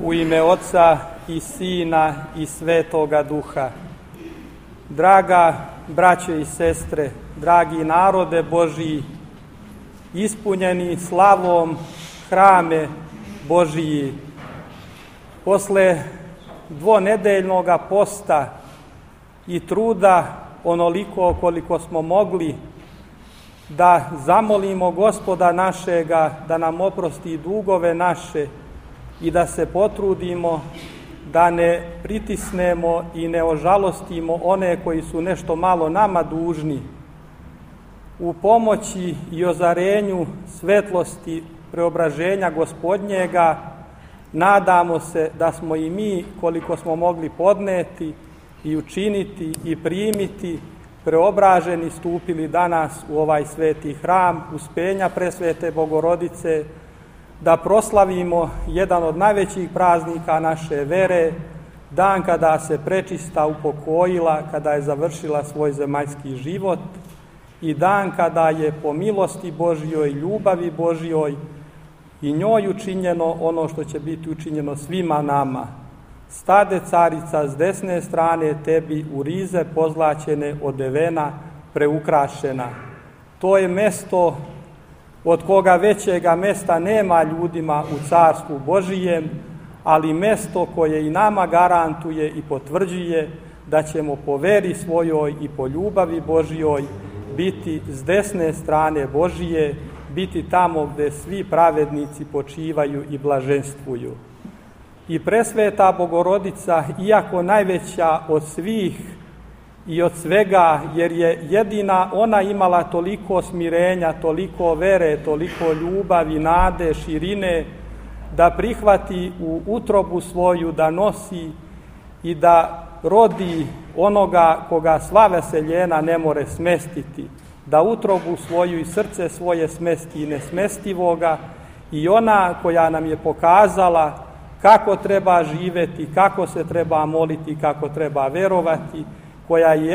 U ime Oca i Sina i Svetoga Duha. Draga braćo i sestre, dragi narode Božiji, ispunjeni slavom hrame Božiji, posle dvonedeljnog posta i truda onoliko koliko smo mogli da zamolimo Gospoda našega da nam oprosti dugove naše i da se potrudimo da ne pritisnemo i ne ožalostimo one koji su nešto malo nama dužni. U pomoći i ozarenju svetlosti preobraženja Gospodnjega nadamo se da smo i mi, koliko smo mogli podneti i učiniti i primiti, preobraženi stupili danas u ovaj sveti hram Uspenja Presvete Bogorodice, da proslavimo jedan od najvećih praznika naše vere, dan kada se prečista upokojila, kada je završila svoj zemaljski život i dan kada je po milosti Božjoj, ljubavi Božjoj i njoj učinjeno ono što će biti učinjeno svima nama. Stade carica s desne strane tebi u rize pozlaćene, odevena, preukrašena. To je mesto od koga većega mesta nema ljudima u Carstvu Božijem, ali mesto koje i nama garantuje i potvrđuje da ćemo po veri svojoj i po ljubavi Božjoj biti s desne strane Božije, biti tamo gde svi pravednici počivaju i blaženstvuju. I presveta Bogorodica, iako najveća od svih i od svega, jer je jedina ona imala toliko smirenja, toliko vere, toliko ljubavi, nade, širine, da prihvati u utrobu svoju, da nosi i da rodi onoga koga sva veseljena ne more smestiti, da utrobu svoju i srce svoje smesti i nesmestivoga, i ona koja nam je pokazala kako treba živeti, kako se treba moliti, kako treba verovati, koja je